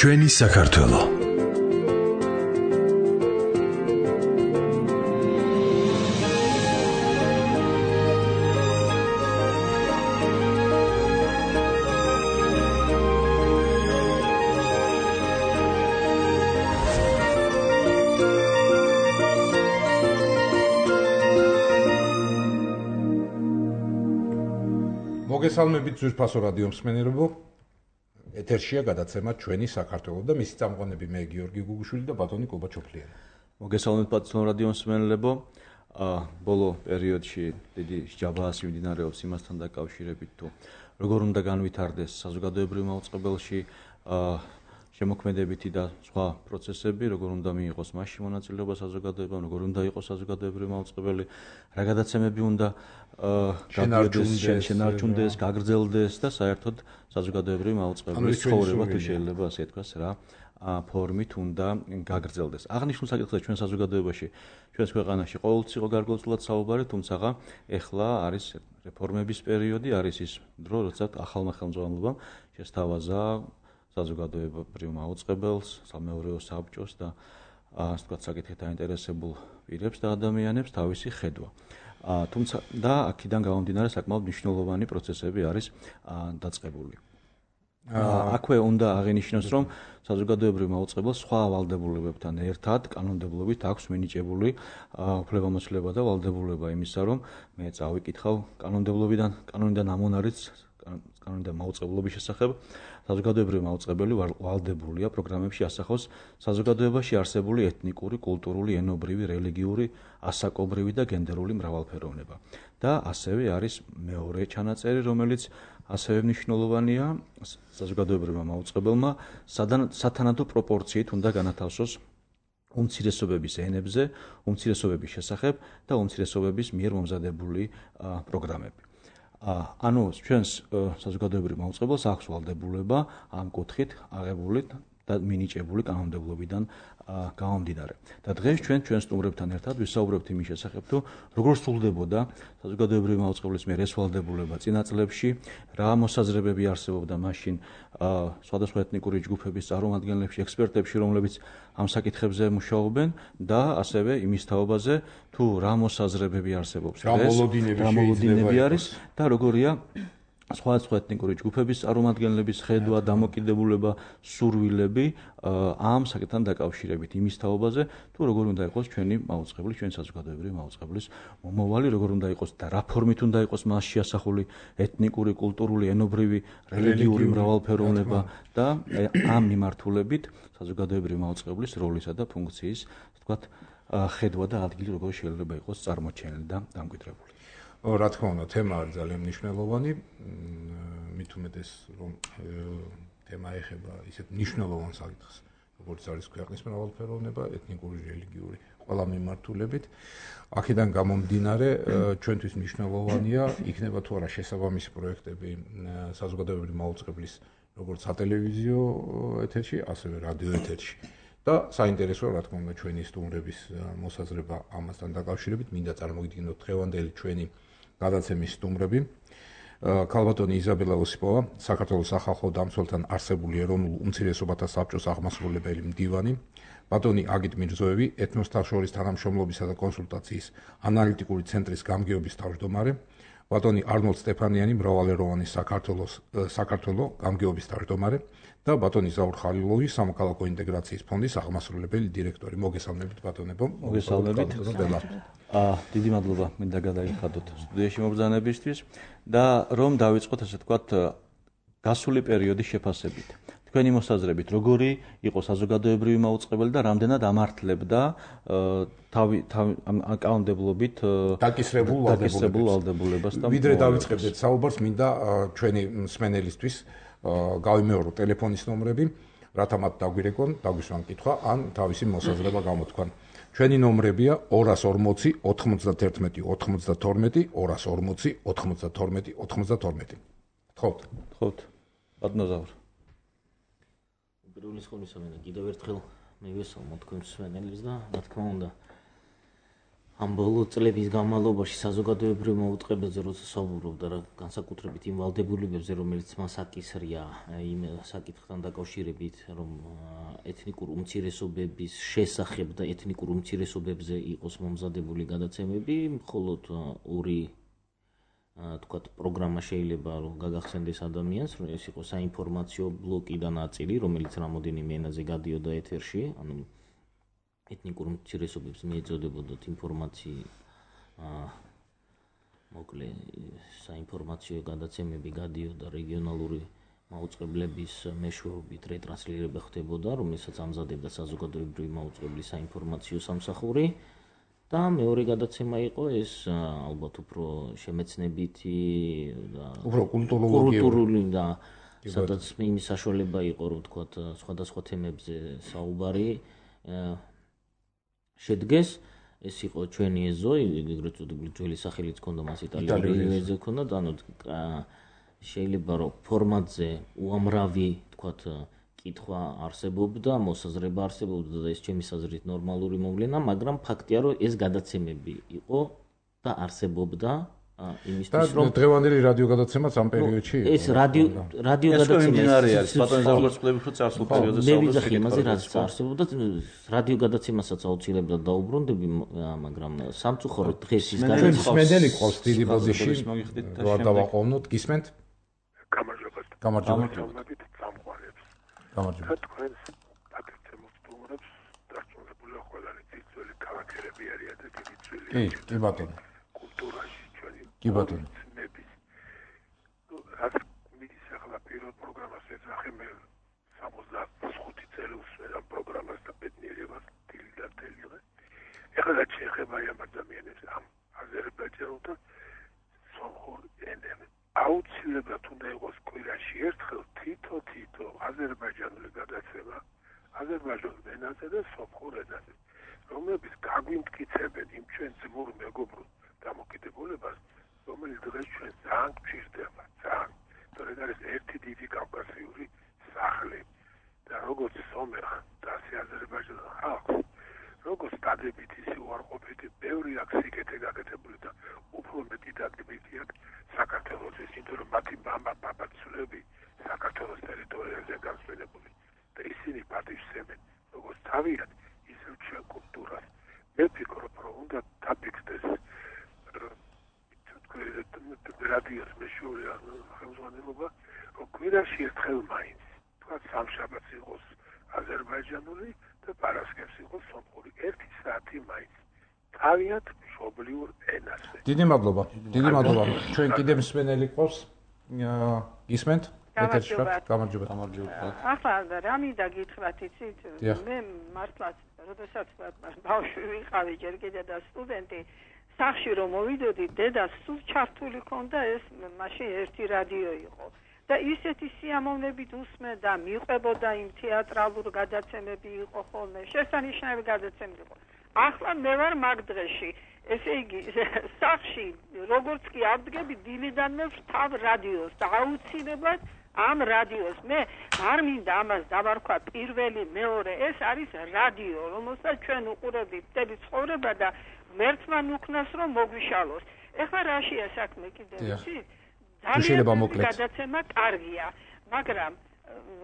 ჩვენი საქართველო. მოგესალმებით ძვირფასო რადიო მსმენელებო. ეთერშია გადაცემა ჩვენი საქართველო და მისი წამყვანები მე გიორგი გუგუშვილი და ბატონი კობა ჩოფლიანი. მოგესალმებით ბატონო რადიო მსმენელებო. ბოლო პერიოდში დიდი ჯაბაას მიმდინარეობს იმასთან დაკავშირებით თუ როგორ უნდა განვითარდეს საზოგადოებრივ მაუწყებელში შემოქმედებითი და სხვა პროცესები, როგორ უნდა მიიღოს მასში მონაწილეობა საზოგადოებამ, როგორ უნდა იყოს საზოგადოებრივი მაუწყებელი, რა გადაცემები უნდა შენარჩუნდეს, გაგრძელდეს და საერთოდ საზოგადოებრივი მაუწყებლის ცხოვრება თუ შეიძლება ასე ითქვას რა ფორმით უნდა გაგრძელდეს. აღნიშნულ საკითხზე ჩვენ საზოგადოებაში, ჩვენს ქვეყანაში ყოველთვის იყო გარკვეულწილად საუბარი, თუმცა ეხლა არის რეფორმების პერიოდი, არის ის დრო, როდესაც ახალმა ხელმძღვანელობამ შესთავაზა საზოგადოებრივ მაუწყებელს, სამეურვეო საბჭოს და ასე ვთქვათ, საკითხით დაინტერესებულ პირებს და ადამიანებს თავისი ხედვა. თუმცა და აქედან გამომდინარე საკმაოდ მნიშვნელოვანი პროცესები არის დაწყებული. აქვე უნდა აღინიშნოს, რომ საზოგადოებრივ მაუწყებელს სხვა ვალდებულებებთან ერთად კანონმდებლობით აქვს მინიჭებული უფლებამოსილება და ვალდებულება იმისა, რომ მე წავიკითხავ კანონიდან ამონარიც კანონიდან მაუწყებლობის შესახებ საზოგადოებრივი მაუწყებელი ვალდებულია პროგრამებში ასახავს საზოგადოებაში არსებული ეთნიკური, კულტურული, ენობრივი, რელიგიური, ასაკობრივი და გენდერული მრავალფეროვნება. და ასევე არის მეორე ჩანაწერი, რომელიც ასევე მნიშვნელოვანია საზოგადოებრივმა მაუწყებელმა სათანადო პროპორციით უნდა განათავსოს უმცირესობების ენებზე, უმცირესობების შესახებ და უმცირესობების მიერ მომზადებული პროგრამები. ანუ ჩვენს საზოგადოებრივ მაუწყებელს აქვს ვალდებულება ამ კუთხით აღებული და მინიჭებული კანონმდებლობიდან გამომდინარე. და დღეს ჩვენ სტუმრებთან ერთად ვისაუბრებთ იმის შესახებ, თუ როგორ სრულდებოდა საზოგადოებრივი მაუწყებლის მიერ ეს ვალდებულება წინა წლებში, რა მოსაზრებები არსებობდა მაშინ სხვადასხვა ეთნიკური ჯგუფების წარმომადგენლებში, ექსპერტებში, რომლებიც ამ საკითხებზე მუშაობენ და ასევე იმის თაობაზე, თუ რა მოსაზრებები არსებობს დღეს, რა მოლოდინები არის და როგორია სხვადასხვა ეთნიკური ჯგუფების წარმომადგენლების ხედვა, დამოკიდებულება, სურვილები ამ საკითხთან დაკავშირებით იმის თაობაზე, თუ როგორ უნდა იყოს ჩვენი მაუწყებლის, ჩვენი საზოგადოებრივი მაუწყებლის მომავალი, როგორ უნდა იყოს და რა ფორმით უნდა იყოს მასში ასახული ეთნიკური, კულტურული, ენობრივი, რელიგიური მრავალფეროვნება და ამ მიმართულებით საზოგადოებრივი მაუწყებლის როლისა და ფუნქციის, ვთქვათ, ხედვა და ადგილი როგორ შეიძლება იყოს წარმოჩენილი და დამკვიდრებული. რა თქმა უნდა, თემა არის ძალიან მნიშვნელოვანი, მით უმეტეს რომ თემა ეხება ისეთ მნიშვნელოვან საკითხს, როგორც არის ქვეყნის მრავალფეროვნება, ეთნიკური, რელიგიური, ყველა მიმართულებით. აქედან გამომდინარე, ჩვენთვის მნიშვნელოვანია, იქნება თუ არა შესაბამისი პროექტები საზოგადოებრივი მაუწყებლის როგორც სატელევიზიო ეთერში, ასევე რადიო ეთერში. და საინტერესოა, რა თქმა უნდა, ჩვენი სტუმრების მოსაზრება ამასთან დაკავშირებით. მინდა წარმოგიდგინოთ დღევანდელი ჩვენი გადაცემის სტუმრები. ქალბატონი იზაბელა ოსიპოვა, საქართველოს სახალხო დამცველთან არსებული ეროვნულ უმცირესობათა საბჭოს აღმასრულებელი მდივანი, ბატონი აგით მირზოევი, ეთნოსთა შორის თანამშრომლობისა და კონსულტაციის ანალიტიკური ცენტრის გამგეობის თავმჯდომარე, ბატონი არნოლდ სტეფანიანი, მრავალეროვანი საქართველო გამგეობის თავმჯდომარე და ბატონი ზაურ ხალილოვი, სამოქალაქო ინტეგრაციის ფონდის აღმასრულებელი დირექტორი. მოგესალმებით ბატონებო. მოგესალმებით. დიდი მადლობა მინდა გადაიხადოთ სტუდიაში მობრძანებისთვის და რომ დავიწყოთ ასე ვთქვათ გასული პერიოდის შეფასებით. თქვენი მოსაზრებით, როგორი იყო საზოგადოებრივი მაუწყებელი და რამდენად ამართლებდა კანონმდებლობით დაკისრებულ ვალდებულებას და ვიდრე დავიწყებდეთ საუბარს, მინდა ჩვენი მსმენელისთვის გავიმეორო ტელეფონის ნომრები, რათა მათ დაგვირეკონ, დაგვისვან კითხვა ან თავისი მოსაზრება გამოთქვან. ჩვენი ნომრებია 240 91 92 240 92 92. გთხოვთ. ბატონო ზაურ. პირველ რიგში მე კიდევ ერთხელ მივესალმო თქვენს მსმენელებს და რა თქმა უნდა ამ ბოლო წლების განმავლობაში საზოგადოებრივ მოუწყებებზე როცა საუბრობდა რა განსაკუთრებით იმ ვალდებულებებზე რომელიც მას აკისრია იმ საკითხთან დაკავშირებით რომ ეთნიკურ უმცირესობების შესახებ და ეთნიკურ უმცირესობებზე იყოს მომზადებული გადაცემები მხოლოდ ორი თქვათ პროგრამა შეიძლება რომ გაგახსენდეს ადამიანს რომ ეს იყოს საინფორმაციო ბლოკი და ნაწილი რომელიც რამოდენიმე ენაზე გადიოდა ეთერში ანუ ეთნიკურ უმცირესობებს მიეწოდებოდათ ინფორმაცია მოკლე საინფორმაციო გადაცემები გადიოდა რეგიონალური მაუწყებლების მეშვეობით რეტრანსლირება ხდებოდა რომელსაც ამზადებდა საზოგადოებრივი მაუწყებლის საინფორმაციო სამსახური და მეორე გადაცემა იყო ეს ალბათ უფრო შემეცნებითი და უფრო კულტურული და სადაც იმის საშუალება იყო რომ თქვათ სხვადასხვა თემებზე საუბარი შედგეს ეს იყო ჩვენი ეზო ეგრეთ წოდებული ძველი სახელიც ჰქონდა მას იტალიური ეზო ჰქონდა და ანუ შეიძლება რომ ფორმატზე უამრავი თქვათ კითხვა არსებობდა მოსაზრება არსებობდა და ეს ჩემი აზრით ნორმალური მოვლენა მაგრამ ფაქტია რომ ეს გადაცემები იყო და არსებობდა იმისთვის რომ დღევანდელი რადიო გადაცემაც ამ პერიოდში იყო ეს რადიო გადაცემა არის ბატონო როგორც ვთქვი რომ წარსულ პერიოდზე საუბრობთ იმაზე რაც არსებობდა რადიო გადაცემასაც აუცილებლად დაუბრუნდები მაგრამ სამწუხაროდ დღეს ის გადაცემა სმენელი ყავს დიდი ბოდიში რა დავაყოვნოთ გისმენთ გამარჯობა თქვენს აკეთებს სტუმრებს დარწმუნებული ყველანი ძიძველი ქალაქერები არიან და დიდი ძველი კი ბატონო კულტურაში ჩვენი კი ბატონო რაც მიდის ახლა პირველ პროგრამას ეძახე მე 65 წელი უსმენ ამ პროგრამას და ბედნიერებას დილი და თელი დღე ეხლა რაც შეეხება ამ ადამიანებს ამ აზერბაიჯანულთა სომხურ ენებს აუცილებლად უნდა იყოს კვირაში ერთხელ თითო აზერბაიჯანული გადაცემა აზერბაიჯანის ენაზე და სომხურ ენაზე რომლებიც გაგვიმტკიცებენ იმ ჩვენ ძმურ მეგობრულ დამოკიდებულებას რომელიც დღეს ჩვენ ძალიან გვჭირდება ძალიან თორედ არის ერთი დიდი კავკასიური სახლი და როგორც სომეხ და აზერბაიჯანის ხალხს როგორც დადებით ისე უარყოფითი ბევრი აქ სიკეთე გაკეთებული და უფრო მეტი დაგებითი აქ საქართველოს ისინი რომ მათი მამა პაპაცულები საქართველოს ტერიტორიაზე გასვენებული და ისინი პატივსცემენ როგორც თავიანთ ისევ ჩვენ კულტურას მე ვფიქრობ რომ უნდა დაფიქსდეს რადიოს მეშვეური ხელმძღვანელობა რომ კვირაში ერთხელ მაინც თქვა სამშაბათს იყოს აზერბაიჯანული და პარასკევს იყოს სომხური 1 საათი მაინც თავიანთ მშობლიურ ენაზე დიდი მადლობა ჩვენ კიდევ მსმენელი ყავს გისმენთ ეთერში ვართ გამარჯობა ახლა რა მინდა გითხრათ იცით მე მართლაც როდესაც ბავშვი ვიყავი ჯერ კიდე და სტუდენტი სახში რომ მოვიდოდი დედას სულ ჩართული ქონდა ეს მაშინ ერთი რადიო იყო და ისეთი სიამოვნებით უსმენდა მიყვებოდა იმ თეატრალურ გადაცემები იყო ხოლმე შესანიშნავი გადაცემები იყო ახლა მე ვარ მაგ დღეში ესე იგი სახში როგორც კი ავდგები დილიდან მე ვთავ რადიოს და აუცილებლად ამ რადიოს მე არ მინდა ამას დავარქვა პირველი მეორე ეს არის რადიო რომელსაც ჩვენ უყურებთ მთელი ცხოვრება და მერცმან უქნას რომ მოგვიშალოს ეხლა რაშია საქმე კიდევ იცით ძალიან გადაცემა კარგია მაგრამ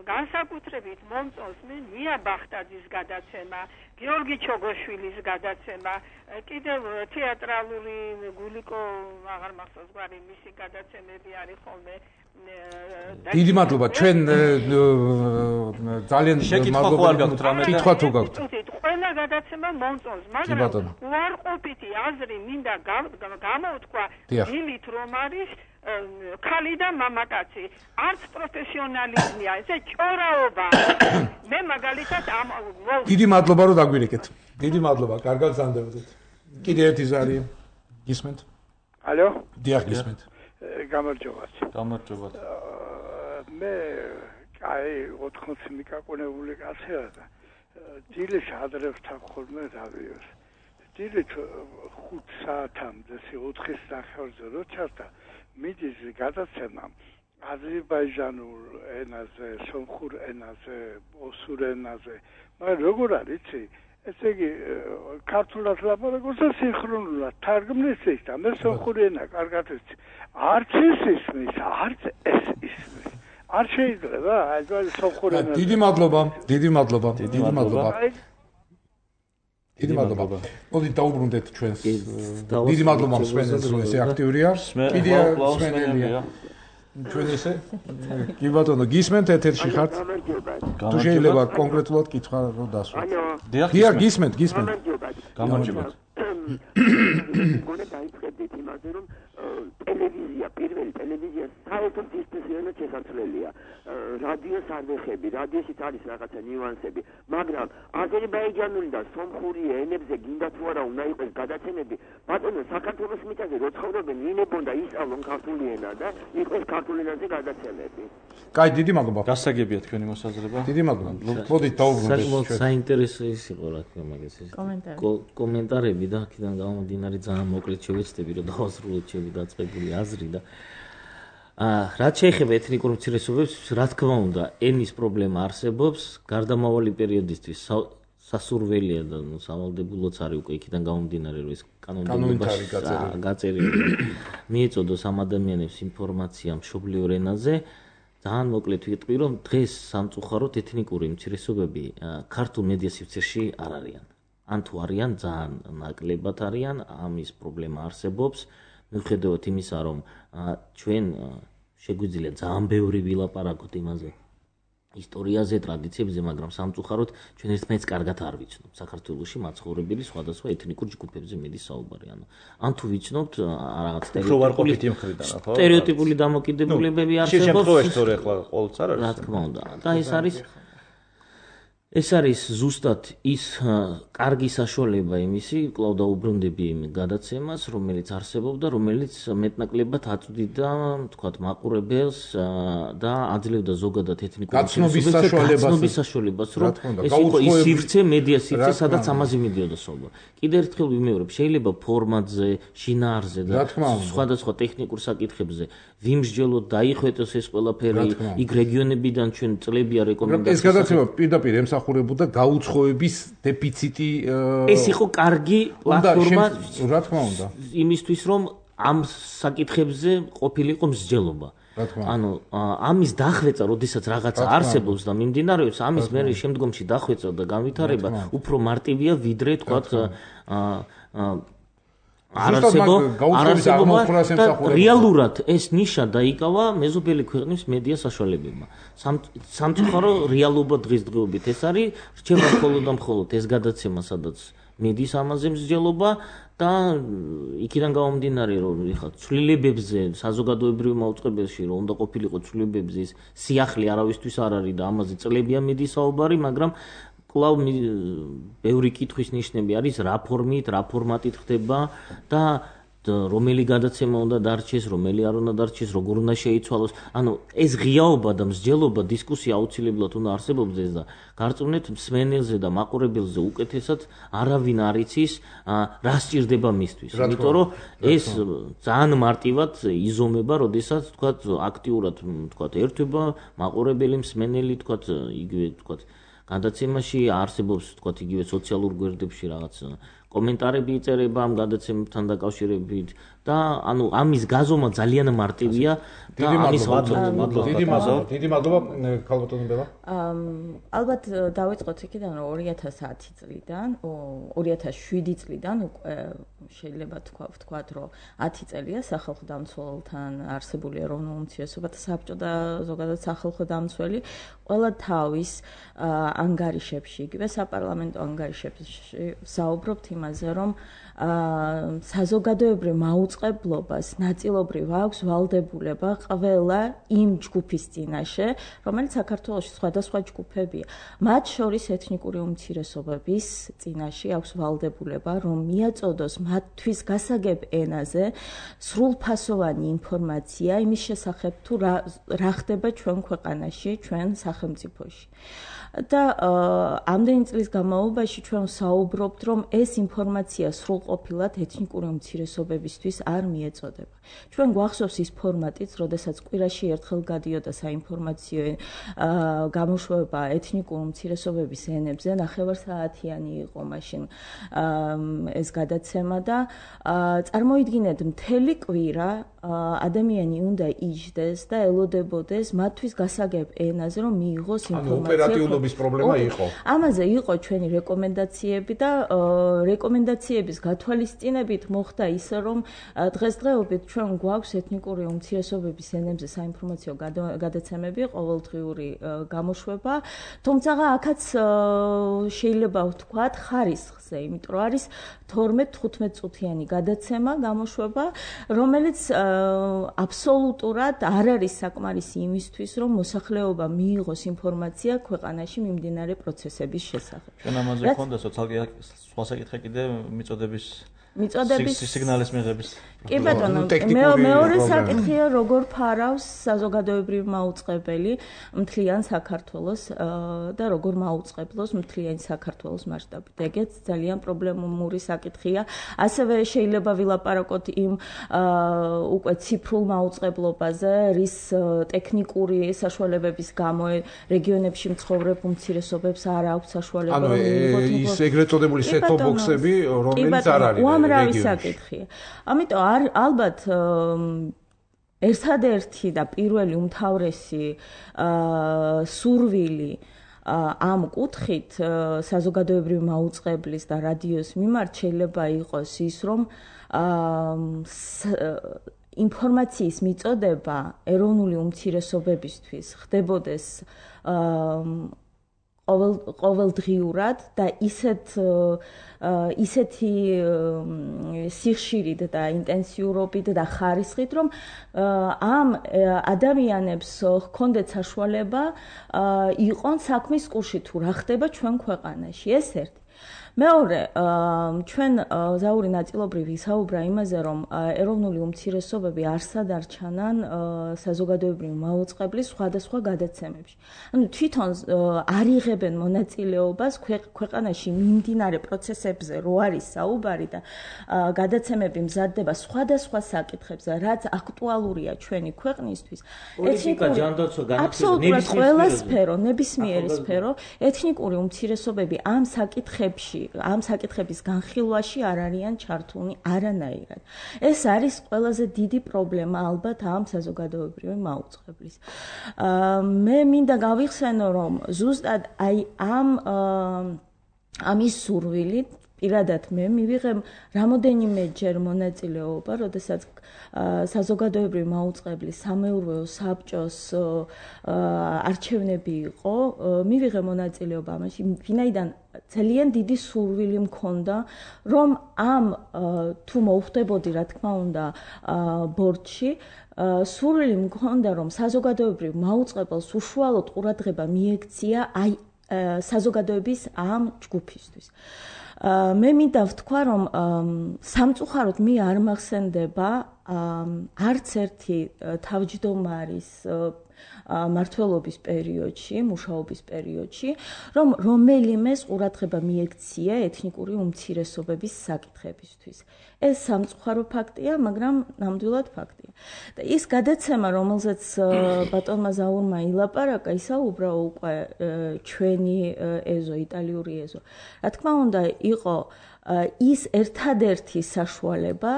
განსაკუთრებით მომწონს მე ნია ბახტაძის გადაცემა გიორგი ჩოგოშვილის გადაცემა კიდევ თეატრალური გულიკო აღარ მახსოვს გვარი მისი გადაცემები არის ხოლმე დიდი მადლობა ჩვენ ძალიან კითხვა თუ გაქვთ ყველა გადაცემა მომწონს მაგრამ უარყოფითი აზრი მინდა გამოვთქვა იმით რომ არის ქალი და მამაკაცი არც პროფესიონალიზმია ესე ჭორაობა მე მაგალითად დიდი მადლობა რომ დაგვირეკეთ დიდი მადლობა კარგად გზანდებოდეთ კიდე ერთი ზარი გისმენთ ალო დიახ გისმენთ გამარჯობა მე აი 80 მიკაკონებული კაცია და დილის ადრე ვთქვ ხოლმე რადიოს დილით 5 საათამდე 4-ის ნახევრზე რო ჩარდა მიდის გადაცემა აზერბაიჯანულ ენაზე, სომხურ ენაზე, ოსურ ენაზე. მაგრამ როგორ არის იცი ესე იგი ქართულად ლაპარაკობს და სინქრონულად თარგმნის ის და მე სომხური ენა კარგად ვიცი. არც ეს ისმის, არც ეს ისმის. არ შეიძლება, აი სომხური ენა. დიდი მადლობა. დიდი მადლობა. მოდი დაუბრუნდეთ ჩვენს. დიდი მადლობა მსმენელს, რომ ესე აქტიური არის. კიდია მსმენელია. ჩვენ ესე კი ბატონო გისმენთ ეთერში ხართ? თუ შეიძლება კონკრეტულად კითხვა რომ დასვათ. დიახ, გისმენთ. გამარჯობათ. გონე დაიწყებდით იმაზე რომ ტელევიზია, პირველი ტელევიზია საერთოდ დისკუსიონად შესაძლებელია. რადიოს არ ვეხები, რადიოშიც არის რაღაცა ნიუანსები, მაგრამ აზერბაიჯანული და სომხური ენებზე გინდა თუ არა უნდა იყოს გადაცემები. ბატონო, საქართველოს მიწაზე რო ცხოვრობენ, ვინებონდა ისწავლონ ქართული ენა და იყოს ქართული ენაზე გადაცემები. კაი, დიდი მადლობა. გასაგებია თქვენი მოსაზრება. დიდი მადლობა. მოდით დაუბრუნდეთ. საკმაოდ საინტერესო ის იყო რა თქმა უნდა ეს კომენტარები და აქედან გამომდინარე ძალიან მოკლედ შევეცდები რომ დავასრულოთ ჩემი დაწყებული აზრი და რაც შეეხება ეთნიკურ უმცირესობებს, რა თქმა უნდა, ენის პრობლემა არსებობს, გარდამავალი პერიოდისთვის სასურველია და სავალდებულოც არის უკვე იქიდან გამომდინარე რომ ეს კანონმდებლობაში გაწერილი მიეწოდოს ამ ადამიანებს ინფორმაცია მშობლიურ ენაზე. ძალიან მოკლედ ვიტყვი, რომ დღეს სამწუხაროდ ეთნიკური უმცირესობები ქართულ მედია სივრცეში არ არიან. ან თუ არიან, ძალიან ნაკლებად არიან, ამის პრობლემა არსებობს. მიუხედავად იმისა, რომ ჩვენ შეგვიძლია ძალიან ბევრი ვილაპარაკოთ იმაზე, ისტორიაზე, ტრადიციებზე, მაგრამ სამწუხაროდ ჩვენ ერთმანეთს კარგად არ ვიცნობთ. საქართველოში მაცხოვრებელი სხვადასხვა ეთნიკურ ჯგუფებზე მედის საუბარი. ან თუ ვიცნობთ რაღაც სტერეოტიპული დამოკიდებულებები არსებობს. შემთხვევაში თორე ახლა ყოველთვის არ არის. რა თქმა უნდა. და ეს არის ზუსტად ის კარგი საშუალება იმისი, კვლავ დაუბრუნდები იმ გადაცემას, რომელიც არსებობდა, რომელიც მეტნაკლებად აწვდიდა, თქვათ, მაყურებელს და აძლევდა ზოგადად ეთნიკურ გაცნობის საშუალებას, რომ ეს იყო ის სივრცე, მედია სივრცე, სადაც ამაზე მიდიოდა საუბარი. კიდევ ერთხელ ვიმეორებ, შეიძლება ფორმატზე, შინაარზე და სხვადასხვა ტექნიკურ საკითხებზე ვიმსჯელოთ, დაიხვეტოს ეს ყველაფერი, იქ რეგიონებიდან ჩვენ წლებია რეკომენდაციები. ეს გადაცემა პირდაპირ ემსახურებოდა გაუცხოების დეფიციტი. ეს იყო კარგი პლატფორმა, რა თქმა უნდა, იმისთვის, რომ ამ საკითხებზე ყოფილიყო მსჯელობა. ანუ ამის დახვეწა, როდესაც რაღაცა არსებობს და მიმდინარეობს, ამის მე შემდგომში დახვეწა და განვითარება უფრო მარტივია, ვიდრე თქვათ არასებობა რეალურად ეს ნიშა დაიკავა მეზობელი ქვეყნის მედია საშუალებებმა. სამწუხარო რეალობა დღესდღეობით ეს არის, რჩება მხოლოდ და მხოლოდ ეს გადაცემა, სადაც მედის ამაზე მსჯელობა და იქიდან გამომდინარე, რომ ეხლა ცვლილებებზე საზოგადოებრივ მაუწყებელში რომ უნდა ყოფილიყო ცვლილებებზე ის სიახლე არავისთვის არ არის და ამაზე წლებია მედის საუბარი, მაგრამ კვლავ ბევრი კითხვის ნიშნები არის რა ფორმით, რა ფორმატით ხდება და რომელი გადაცემა უნდა დარჩეს, რომელი არ უნდა დარჩეს, როგორ უნდა შეიცვალოს. ანუ ეს ღიაობა და მსჯელობა, დისკუსია აუცილებლად უნდა არსებობდეს და გარწმუნეთ მსმენელზე და მაყურებელზე უკეთესად არავინ არ იცის რა სჭირდება მისთვის. იმიტომ რომ ეს ძალიან მარტივად იზომება, როდესაც თქვათ აქტიურად თქვათ ერთვება მაყურებელი, მსმენელი, თქვათ იგივე თქვათ გადაცემაში არსებობს თქვათ იგივე სოციალურ გვერდებში რაღაც კომენტარები იწერება ამ გადაცემებთან დაკავშირებით და ანუ ამის გაზომა ძალიან მარტივია და ამის დიდი მადლობა ქალბატონი ბელა. ალბათ დავიწყოთ იქიდან რომ 2010 წლიდან 2007 წლიდან უკვე შეიძლება ვთქვათ რომ 10 წელია სახალხო დამცველთან არსებული ეროვნულ უმცირესობათა საბჭო და ზოგადად სახალხო დამცველი ყველა თავის ანგარიშებში იგივე საპარლამენტო ანგარიშებში საუბრობთ იმაზე რომ საზოგადოებრივ მაუწყებლობას ნაწილობრივ აქვს ვალდებულება ყველა იმ ჯგუფის წინაშე, რომელიც საქართველოში სხვადასხვა ჯგუფებია. მათ შორის ეთნიკური უმცირესობების წინაშე აქვს ვალდებულება, რომ მიაწოდოს მათთვის გასაგებ ენაზე სრულფასოვანი ინფორმაცია იმის შესახებ თუ რა ხდება ჩვენ ქვეყანაში, ჩვენ სახელმწიფოში. და ამდენი წლის განმავლობაში ჩვენ საუბრობთ, რომ ეს ინფორმაცია სრულყოფილად ეთნიკური უმცირესობებისთვის არ მიეწოდება. ჩვენ გვახსოვს ის ფორმატიც, როდესაც კვირაში ერთხელ გადიოდა საინფორმაციო გამოშვება ეთნიკური უმცირესობების ენებზე, 9 საათიანი იყო მაშინ ეს გადაცემა და წარმოიდგინეთ მთელი კვირა ადამიანი უნდა იჯდეს და ელოდებოდეს მათთვის გასაგებ ენაზე, რომ მიიღოს ინფორმაცია. ოპერატიულობის პრობლემა იყო. ამაზე იყო ჩვენი რეკომენდაციები და რეკომენდაციების გათვალისწინებით მოხდა ისე, რომ დღესდღეობით ჩვენ გვაქვს ეთნიკური უმცირესობების ენებზე საინფორმაციო გადაცემები, ყოველდღიური გამოშვება, თუმცა აქაც შეიძლება ვთქვათ ხარისხზე, იმიტომ რომ არის 12-15 წუთიანი გადაცემა, გამოშვება, რომელიც აბსოლუტურად არ არის საკმარისი იმისთვის, რომ მოსახლეობა მიიღოს ინფორმაცია ქვეყანაში მიმდინარე პროცესების შესახებ. ჩვენ ამაზე გქონდა სოციალური სხვა საკითხი კიდე მიწოდების სიგნალის მიღების. კი ბატონო, მეორე საკითხია, როგორ ფარავს საზოგადოებრივი მაუწყებელი მთლიან საქართველოს და როგორ მაუწყებლოს მთლიანი საქართველოს მასშტაბით. ეგეც ძალიან პრობლემური საკითხია. ასევე შეიძლება ვილაპარაკოთ იმ უკვე ციფრულ მაუწყებლობაზე, რის ტექნიკური საშუალებების გამო რეგიონებში მცხოვრებ უმცირესობებს არ აქვს საშუალება მიიღოთ. ანუ ის ეგრეთ წოდებული set-top box-ები, რომელიც არ არის უამრავი საკითხია. ამიტომ ალბათ ერთადერთი და პირველი უმთავრესი სურვილი ამ კუთხით საზოგადოებრივი მაუწყებლის და რადიოს მიმართ შეიძლება იყოს ის, რომ ინფორმაციის მიწოდება ეროვნული უმცირესობებისთვის ხდებოდეს ყოველდღიურად და ისეთი სიხშირით და ინტენსიურობით და ხარისხით, რომ ამ ადამიანებს ჰქონდეთ საშუალება იყვნენ საქმის კურსში თუ რა ხდება ჩვენ ქვეყანაში. ეს ერთი. მეორე, ჩვენ ზაური ნაწილობრივ ვისაუბრა იმაზე, რომ ეროვნული უმცირესობები არსად არ ჩანან საზოგადოებრივი მაუწყებლის სხვადასხვა გადაცემებში. ანუ თვითონ არ იღებენ მონაწილეობას ქვეყანაში მიმდინარე პროცესებზე, რო არის საუბარი და გადაცემები მზადდება სხვადასხვა საკითხებზე, რაც აქტუალურია ჩვენი ქვეყნისთვის. პოლიტიკა, ჯანდაცვა, აბსოლუტურად ყველა სფერო, ნებისმიერი სფერო, ეთნიკური უმცირესობები ამ საკითხებში ამ საკითხების განხილვაში არ არიან ჩართულნი არანაირად. ეს არის ყველაზე დიდი პრობლემა ალბათ ამ საზოგადოებრივი მაუწყებლის. მე მინდა გავიხსენო, რომ ზუსტად აი ამის სურვილით პირადად მე მივიღე რამოდენიმეჯერ მონაწილეობა, როდესაც საზოგადოებრივი მაუწყებლის სამეურვეო საბჭოს არჩევნები იყო, მივიღე მონაწილეობა ამაში, ვინაიდან ძალიან დიდი სურვილი მქონდა, რომ ამ თუ მოუხდებოდი, რა თქმა უნდა, ბორდში, სურვილი მქონდა, რომ საზოგადოებრივ მაუწყებელს უშუალოდ ყურადღება მიექცია აი საზოგადოების ამ ჯგუფისთვის. მე მინდა ვთქვა, რომ სამწუხაროდ მე არ მახსენდება არც ერთი თავმჯდომარის მმართველობის პერიოდში, მუშაობის პერიოდში, რომ რომელიმეს ყურადღება მიექცია ეთნიკური უმცირესობების საკითხებისთვის. ეს სამწუხარო ფაქტია, მაგრამ ნამდვილად ფაქტია. და ის გადაცემა, რომელზეც ბატონმა ზაურმა ილაპარაკა, ისაუბრა უკვე ჩვენი ეზო, იტალიური ეზო. რა თქმა უნდა, იყო ის ერთადერთი საშუალება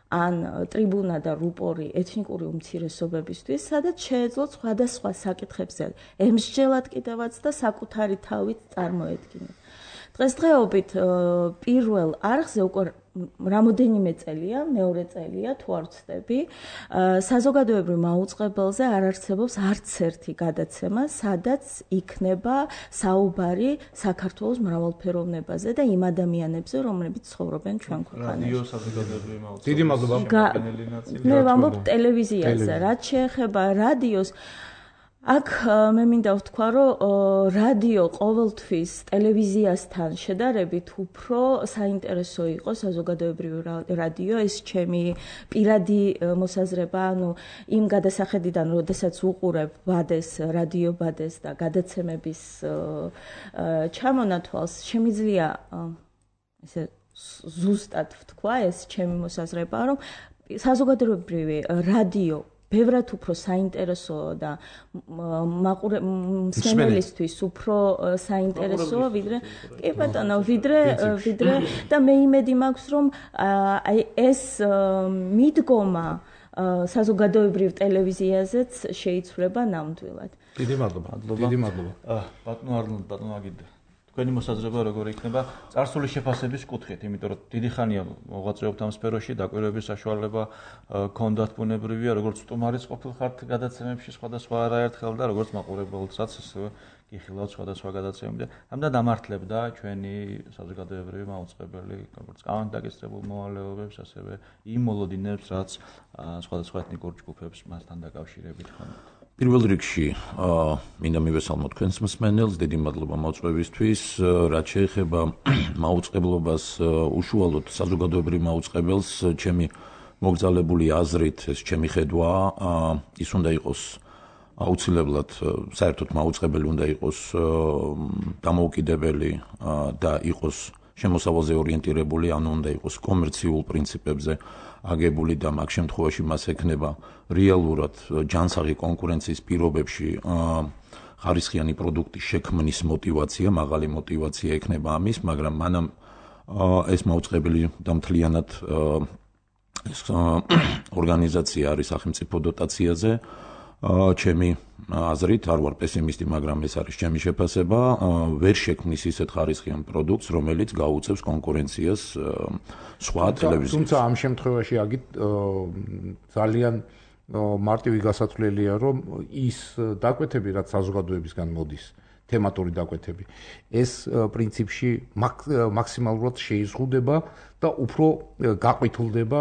ან ტრიბუნა და რუპორი ეთნიკური უმცირესობებისთვის, სადაც შეეძლოთ სხვადასხვა საკითხებზე ემსჯელად კიდევაც და საკუთარი თავით წარმოედგინათ. დღესდღეობით პირველ არხზე უკვე რამოდენიმე წელია, მეორე წელია თუ არ ვცდები, საზოგადოებრივ მაუწყებელზე არ არსებობს არც ერთი გადაცემა, სადაც იქნება საუბარი საქართველოს მრავალფეროვნებაზე და იმ ადამიანებზე, რომლებიც ცხოვრობენ ჩვენ ქვეყანაში. რადიო საზოგადოებრივი მაუწყებელზე. დიდი მადლობა. მე ვამბობ ტელევიზიაზე, რაც შეეხება რადიოს, აქ მე მინდა ვთქვა, რომ რადიო ყოველთვის ტელევიზიასთან შედარებით უფრო საინტერესო იყო საზოგადოებრივი რადიო, ეს ჩემი პირადი მოსაზრება, ანუ იმ გადასახედიდან, როდესაც უყურებ ბადეს, რადიო ბადეს და გადაცემების ჩამონათვალს, შემიძლია ესე ზუსტად ვთქვა ეს ჩემი მოსაზრება, რომ საზოგადოებრივი რადიო ბევრად უფრო საინტერესოა და მსმენელისთვის უფრო საინტერესოა ვიდრე კი ბატონო ვიდრე და მე იმედი მაქვს რომ აი ეს მიდგომა საზოგადოებრივ ტელევიზიაზეც შეიცვლება ნამდვილად. დიდი მადლობა. ბატონო არნოლდ, ბატონო აგიდე. თქვენი მოსაზრება როგორი იქნება წარსული შეფასების კუთხით, იმიტომ რომ დიდი ხანია მოღვაწეობთ ამ სფეროში, დაკვირვების საშუალება გქონდათ ბუნებრივია, როგორც სტუმარიც ყოფილხართ გადაცემებში სხვადასხვა არაერთხელ და როგორც მაყურებელსაც ასევე გიხილავთ სხვადასხვა გადაცემები და ამდენ დამართლებდა ჩვენი საზოგადოებრივი მაუწყებელი, როგორც კანონდაკისრებულ მოვალეობებს, ასევე იმ მოლოდინებს, რაც სხვადასხვა ეთნიკურ ჯგუფებს მასთან დაკავშირებით ჰქონდათ. პირველ რიგში მინდა მივესალმო თქვენს მსმენელს, დიდი მადლობა მოწვევისთვის, რაც შეეხება მაუწყებლობას უშუალოდ საზოგადოებრივ მაუწყებელს, ჩემი მოგზალებული აზრით, ეს ჩემი ხედვაა, ის უნდა იყოს აუცილებლად საერთოდ მაუწყებელი უნდა იყოს დამოუკიდებელი და იყოს შემოსავალზე ორიენტირებული, ანუ უნდა იყოს კომერციულ პრინციპებზე აგებული და მაგ შემთხვევაში მას ექნება რეალურად ჯანსაღი კონკურენციის პირობებში ხარისხიანი პროდუქტის შექმნის მოტივაცია, მაღალი მოტივაცია ექნება ამის, მაგრამ მანამ ეს მაუწყებელი და მთლიანად ეს ორგანიზაცია არის სახელმწიფო დოტაციაზე. ჩემი აზრით, არ ვარ პესიმისტი, მაგრამ ეს არის ჩემი შეფასება, ვერ შექმნის ისეთ ხარისხიან პროდუქტს, რომელიც გაუწევს კონკურენციას სხვა ტელევიზიებს. თუმცა ამ შემთხვევაში აგით ძალიან მარტივი გასათვლელია, რომ ის დაკვეთები, რაც საზოგადოებისგან მოდის, თემატური დაკვეთები, ეს პრინციპში მაქსიმალურად შეიზღუდება და უფრო გაყვითულდება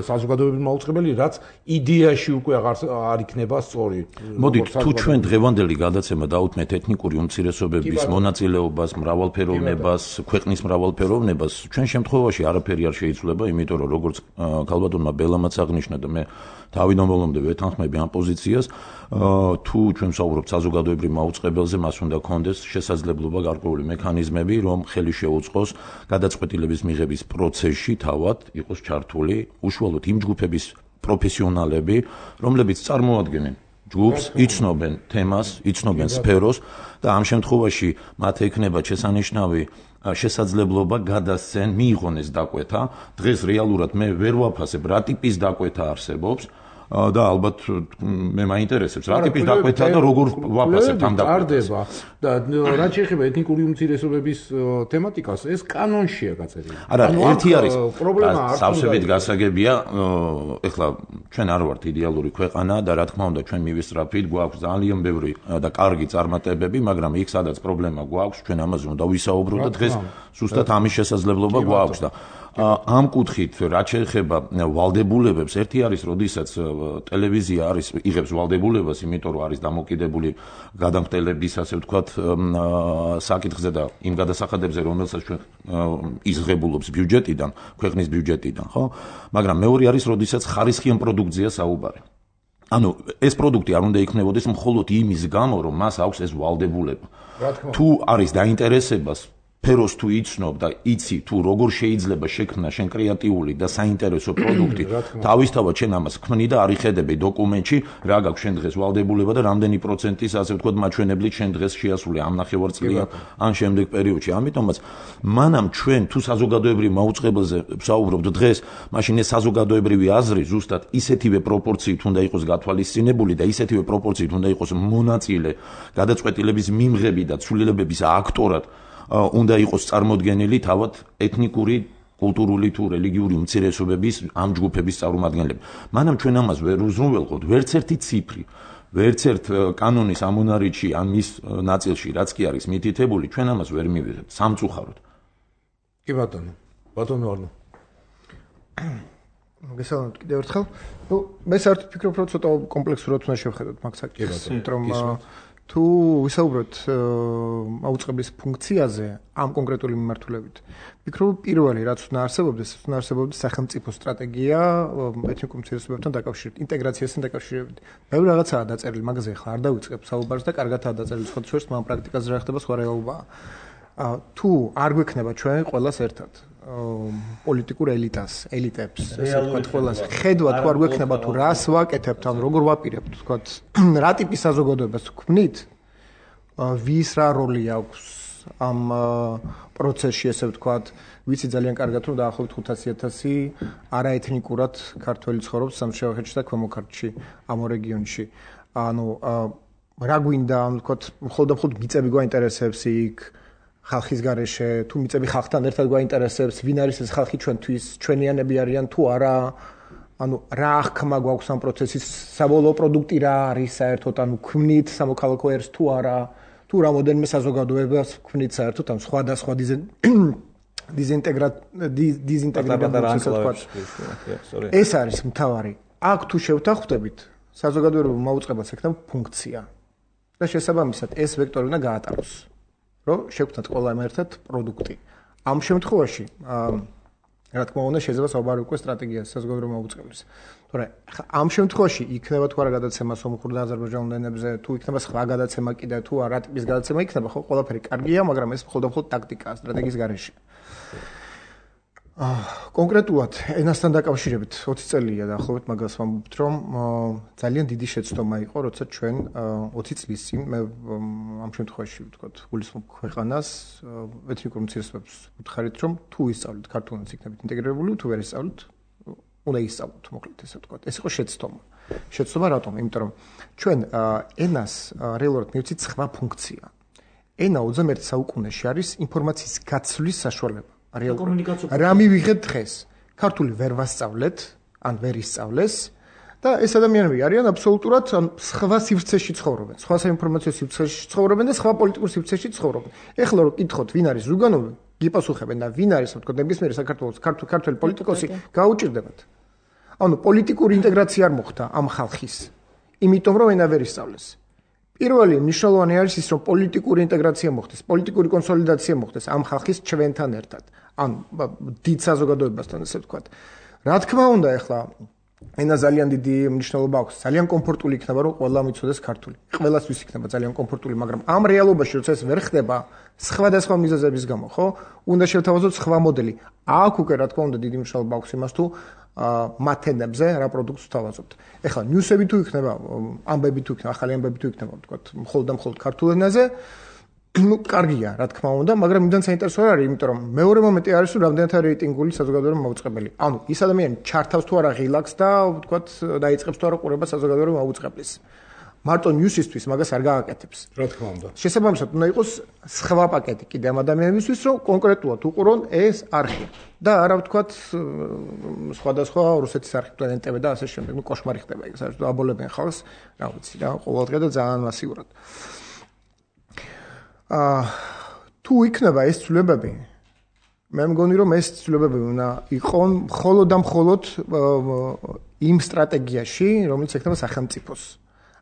საზოგადოებრივი მაუწყებელი, რაც იდეაში უკვე არ იქნება სწორი. მოდით, თუ ჩვენ დღევანდელი გადაცემა დავუთმეთ ეთნიკური უმცირესობების მონაწილეობას, მრავალფეროვნებას, ქვეყნის მრავალფეროვნებას, ჩვენ შემთხვევაში არაფერი არ შეიცვლება, იმიტომ რომ როგორც ქალბატონმა ბელამაც აღნიშნა და მე თავიდანვე ვეთანხმები ამ პოზიციას, თუ ჩვენ ვსაუბრობთ საზოგადოებრივ მაუწყებელზე, მას უნდა გქონდეს შესაძლებლობა გარკვეული მექანიზმები, რომ ხელი შეუწყოს გადაწყვეტილების მიღების პროცესში თავად იყოს ჩართული უშუალოდ იმ ჯგუფების პროფესიონალები, რომლებიც წარმოადგენენ ჯგუფს, იცნობენ თემას, იცნობენ სფეროს და ამ შემთხვევაში მათ ექნება შესანიშნავი შესაძლებლობა გადასცენ, მიიღონ ეს დაკვეთა. დღეს რეალურად მე ვერ ვაფასებ რა ტიპის დაკვეთა არსებობს. და ალბათ მე მაინტერესებს რა ტიპის დაკვეთა და როგორ ვაფასებთ ამ დაკვეთას. და რაც შეეხება ეთნიკური უმცირესობების თემატიკას, ეს კანონშია გაწერილი. არა, ერთი არის პრობლემა სავსებით გასაგებია, ეხლა ჩვენ არ ვართ იდეალური ქვეყანა და რა თქმა უნდა ჩვენ მივისწრაფით, გვაქვს ძალიან ბევრი და კარგი წარმატებები, მაგრამ იქ სადაც პრობლემა გვაქვს, ჩვენ ამაზე უნდა ვისაუბროთ და დღეს ზუსტად ამის შესაძლებლობა გვაქვს და ამ კუთხით რაც შეეხება ვალდებულებებს, ერთი არის, როდესაც ტელევიზია არის იღებს ვალდებულებას, იმიტომ რომ არის დამოკიდებული გადამხდელების, ასე ვთქვათ, საკითხზე და იმ გადასახადებზე, რომელსაც ჩვენ იზღებულობს ბიუჯეტიდან, ქვეყნის ბიუჯეტიდან, ხო? მაგრამ მეორე არის, როდესაც ხარისხიან პროდუქციას საუბარი. ანუ ეს პროდუქტი არ უნდა იქნებოდეს მხოლოდ იმის გამო, რომ მას აქვს ეს ვალდებულება. თუ არის დაინტერესებას ფეროს თუ იცნობ და იცი თუ როგორ შეიძლება შექმნა შენ კრეატიული და საინტერესო პროდუქტი, თავისთავად შენ ამას ქმნი და არ იხედები დოკუმენტში, რა გაქვს შენ დღეს ვალდებულება და რამდენი პროცენტის, ასე ვთქვათ, მაჩვენებლით შენ დღეს შეასრულე ამ ნახევარწლიან ან შემდეგ პერიოდში. ამიტომაც მანამ ჩვენ თუ საზოგადოებრივ მაუწყებელზე ვსაუბრობთ დღეს, მაშინ ეს საზოგადოებრივი აზრი ზუსტად ისეთივე პროპორციით უნდა იყოს გათვალისწინებული და ისეთივე პროპორციით უნდა იყოს მონაწილე გადაწყვეტილების მიმღები და ცვლილებების აქტორად უნდა იყოს წარმოდგენილი თავად ეთნიკური, კულტურული თუ რელიგიური უმცირესობების ამ ჯგუფების წარმომადგენლები. მანამ ჩვენ ამას ვერ უზრუნველყოთ, ვერც ერთი ციფრი, ვერც ერთ კანონის ამონარიდში ან მის ნაწილში, რაც კი არის მითითებული, ჩვენ ამას ვერ მივიღებთ სამწუხაროდ. კი ბატონო, ბატონო არნო. მოგესალმებით კიდევ ერთხელ. ნუ მე საერთოდ ვფიქრობ, რომ ცოტა კომპლექსურად უნდა შევხედოთ მაგ საკითხს, იმიტომ რომ თუ ვისაუბროთ აუწყებლის ფუნქციაზე ამ კონკრეტული მიმართულებით, ვფიქრობ, პირველი რაც უნდა არსებობდეს, სახელმწიფო სტრატეგია ეთნიკურ უმცირესობებთან დაკავშირებით, ინტეგრაციასთან დაკავშირებით. ბევრი რაღაცაა დაწერილი, მაგაზე ახლა არ დავიწყებ საუბარს და კარგადაა დაწერილი, სხვადასხვა ამ პრაქტიკაზე რა ხდება, სხვა რეალობაა. თუ არ გვექნება ჩვენ ყველას ერთად, პოლიტიკურ ელიტებს, ესე ვთქვათ, ყველას ხედვა თუ არ გვექნება თუ რას ვაკეთებთ, ან როგორ ვაპირებთ, ვთქვათ, რა ტიპის საზოგადოებას ვქმნით, ვის რა როლი აქვს ამ პროცესში, ესე ვთქვათ, ვიცი ძალიან კარგად, რომ დაახლოებით 500,000 არაეთნიკურად ქართველი ცხოვრობს სამშაბათში და ქვემო ქართლში, ამ რეგიონში. ანუ რა გვინდა, ანუ ვთქვათ, მხოლოდ მიწები გვაინტერესებს იქ ხალხის გარეშე, თუ მიწები ხალხთან ერთად გვაინტერესებს, ვინ არის ეს ხალხი ჩვენთვის, ჩვენიანები არიან თუ არა, ანუ რა აღქმა გვაქვს ამ პროცესის, საბოლოო პროდუქტი რა არის საერთოდ, ანუ ქმნით სამოქალაქო ერს თუ არა, თუ რამოდენიმე საზოგადოებას ქმნით საერთოდ, ანუ სხვადასხვა დიზინტეგრირებული ეს არის მთავარი. აქ თუ შევთანხმდებით, საზოგადოებრივ მაუწყებელს ექნება ფუნქცია და შესაბამისად ეს ვექტორი უნდა გაატაროს. რომ შევქმნათ ყველა ერთად პროდუქტი. ამ შემთხვევაში, რა თქმა უნდა, შეიძლება საუბარი უკვე სტრატეგიაზე საზოგადოებრივ მოუწყებლის. თორე ამ შემთხვევაში იქნება თუ არა გადაცემა სომხურ და აზერბაიჯანულ ენებზე, თუ იქნება სხვა გადაცემა კიდე, თუ რა ტიპის გადაცემა იქნება, ხო, ყველაფერი კარგია, მაგრამ ეს მხოლოდ ტაქტიკაა, სტრატეგიის გარეშე. კონკრეტულად ენასთან დაკავშირებით 20 წელია დაახლოებით მაგას ვამბობთ, რომ ძალიან დიდი შეცდომა იყო, როცა ჩვენ 20 წლის წინ მე ამ შემთხვევაში ვთქვათ, გულისხმობ ქვეყანას ეთნიკურ უმცირესობებს ვუთხარით, რომ თუ ისწავლეთ ქართულენს იქნებით ინტეგრირებული, თუ ვერ ისწავლეთ, უნდა ისწავლოთ, მოკლედ ესე ვთქვათ. ეს იყო შეცდომა. შეცდომა რატომ? იმიტომ რომ ჩვენ ენას რეალურად მივცით სხვა ფუნქცია. ენა 21 საუკუნეში არის ინფორმაციის გაცვლის საშუალება. რა მივიღეთ დღეს? ქართული ვერ ვასწავლეთ, ან ვერ ისწავლეს და ეს ადამიანები არიან აბსოლუტურად სხვა სივრცეში ცხოვრობენ, სხვა საინფორმაციო სივრცეში ცხოვრობენ და სხვა პოლიტიკურ სივრცეში ცხოვრობენ. ეხლა რომ კითხოთ, ვინ არის ზუგანოვი, გიპასუხებენ და ვინ არის, თქო, ნებისმიერი საქართველოს ქართველი პოლიტიკოსი გაუჭირდებათ. ანუ პოლიტიკური ინტეგრაცია არ მოხდა ამ ხალხის, იმიტომ რომ ენა ვერ ისწავლეს. პირველი მნიშვნელოვანი არის ის, რომ პოლიტიკური ინტეგრაცია მოხდეს, პოლიტიკური კონსოლიდაცია მოხდეს ამ ხალხის ჩვენთან ერთად, ან დიდ საზოგადოებასთან, ესე ვთქვათ. რა თქმა უნდა, ეხლა ენა ძალიან დიდი მნიშვნელობა აქვს, ძალიან კომფორტული იქნება, რომ ყველა მიცოდეს ქართული. ყველასთვის იქნება ძალიან კომფორტული, მაგრამ ამ რეალობაში, როცა ეს ვერ ხდება, სხვადასხვა მიზეზების გამო, ხო? უნდა შევთავაზოთ სხვა მოდელი. აქ უკვე რა თქმა უნდა დიდი მნიშვნელობა აქვს იმას, თუ მათ ენებზე რა პროდუქტს ვთავაზობთ. ეხლა ნიუსები თუ იქნება, ამბები თუ იქნება, ახალი ამბები თუ იქნება, ვთქვათ, მხოლოდ ქართულ ენაზე, ну, კარგია, რა თქმა უნდა, მაგრამ იმდან საინტერესო არ არის, იმიტომ რომ მეორე მომენტი არის, რომ რამდენად არის რეიტინგული საზოგადოებრივი მოუწყებელი. ანუ ის ადამიანი ჩართავს თუ არა ღილაკს და, ვთქვათ, დაიწყებს თუ არა ყურება საზოგადოებრივი მოუწყებლის. მარტო ნიუსისთვის მაგას არ გააკეთებს. რა თქმა უნდა. შესაბამისად, უნდა იყოს სხვა პაკეტი კიდე ამ ადამიანებისთვის, რომ კონკრეტულად უყურონ ეს არხი და არა ვთქვათ, სხვადასხვა რუსეთის არხი თუ ენტვ და ასე შემდეგ, ну, კოშმარი ხდება ეგ, საერთოდ აბოლებენ ხალხს, რა ვიცი, რა, ყოველდღე და ძალიან მასიურად. თუ იქნება ეს ცვლილებები, მე მგონი რომ ეს ცვლილებები უნდა იყონ მხოლოდ და მხოლოდ იმ სტრატეგიაში, რომელიც ექნება სახელმწიფოს.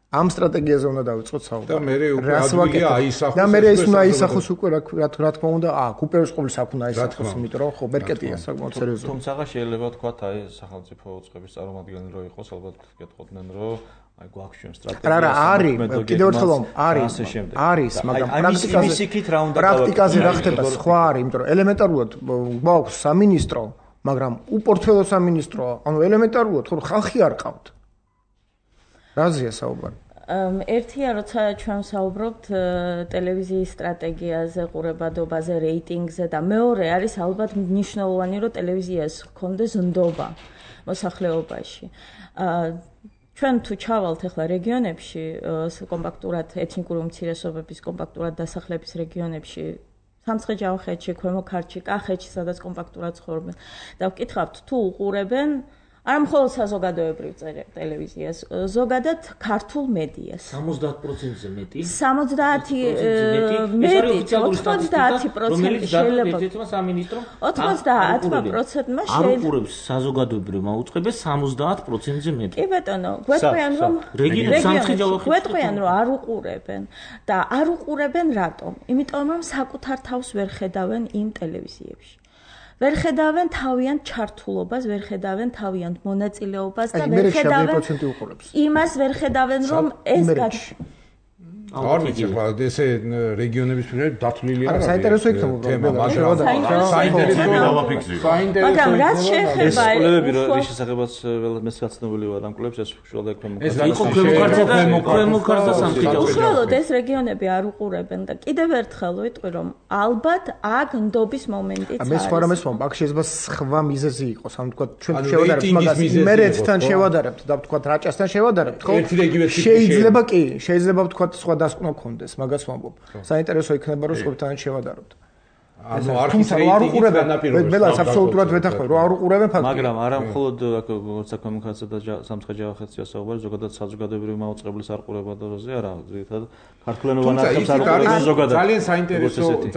ამ სტრატეგიაზე უნდა დავიწყოთ საუბარი. და მე უკვე ადგილია აისახოს. და მე ეს უნდა აისახოს უკვე რა თქმა უნდა, უპირველეს ყოვლისა აქ უნდა აისახოს, იმიტომ რომ ხო ბერკეტია საკმაოდ სერიოზული. თუმცა შეიძლება თქვა აი სახელმწიფო უწყების წარმომადგენელი რო იყოს, ალბათ გეტყოდნენ რომ აი გვაქვს ჩვენ სტრატეგია. რა არის, კიდევ ერთხელ არის, მაგრამ პრაქტიკაზე რა ხდება სხვა არის, იმიტომ რომ ელემენტარულად გვაქვს სამინისტრო, მაგრამ უპორტფელო სამინისტროა, ანუ ელემენტარულად ხო ხალხი არ ყავთ. რაზეა საუბარი? ერთია, როცა ჩვენ საუბრობთ ტელევიზიის სტრატეგიაზე, ყურებადობაზე, რეიტინგზე და მეორე არის ალბათ მნიშვნელოვანი, რომ ტელევიზიას ჰქონდეს ნდობა მოსახლეობაში. ჩვენ თუ ჩავალთ ახლა რეგიონებში, კომპაქტურად ეთნიკური უმცირესობების კომპაქტურად დასახლების რეგიონებში, სამცხე-ჯავახეთში, ქვემო ქართლში, კახეთში, სადაც კომპაქტურად ცხოვრობენ და ვკითხავთ, თუ უყურებენ არა მხოლოდ საზოგადოებრივ ტელევიზიას, ზოგადად ქართულ მედიას. 70%-ზე მეტი. 70 მეტი, 90% შეიძლება. 90%-მა არ უყურებს საზოგადოებრივ მოუწყებას 70%-ზე მეტი. კი ბატონო, გვეტყვიან რომ გვეტყვიან რომ არ უყურებენ და არ უყურებენ რატომ? იმიტომ რომ საკუთარ თავს ვერ ხედავენ იმ ტელევიზიებში. ვერ ხედავენ თავიანთ ჩართულობას, ვერ ხედავენ თავიანთ მონაწილეობას და ვერ ხედავენ იმას ვერ ხედავენ რომ ეს არ ვიცი, ახლა ესე რეგიონების მიერ დათვლილი არა. საინტერესო იქნება თემა, მაგრამ საინტერესო. მაგრამ რაც შეეხება ეს შესაძლებაც მეც გაცნობილი ვარ ამ კლუბს ეს უშუალოდ ეს იყო ქვემოქართლ სამხედრო. უშუალოდ ეს რეგიონები არ უყურებენ და კიდევ ერთხელ ვიტყვი რომ ალბათ აქ ნდობის მომენტიც არის. მე სხვა რამეს ვამბობ, აქ შეიძლება სხვა მიზეზი იყოს, ანუ თქვა ჩვენ შევადარებთ მაგას იმერეთთან შევადარებთ და თქვა რაჭასთან შევადარებთ, ხო? შეიძლება კი, შეიძლება თქვა სხვა დასკვნა გქონდეს, მაგას ვამბობ. საინტერესო იქნება რომ სხვებთან შევადარებთ. ანუ არ უყურებენ ნაპირობას. მე ლაც აბსოლუტურად ვეთანხმებ, რომ არ უყურებენ ფაქტია. მაგრამ არა მხოლოდ როგორც საქმექაცსა და სამხედრო ხეთსია საუბარი, ზოგადად საზოგადოებრივი მაუწყებლის არყურებაზე არა, ზოგადად ქართულენოვან არტებს არყურებენ ზოგადად.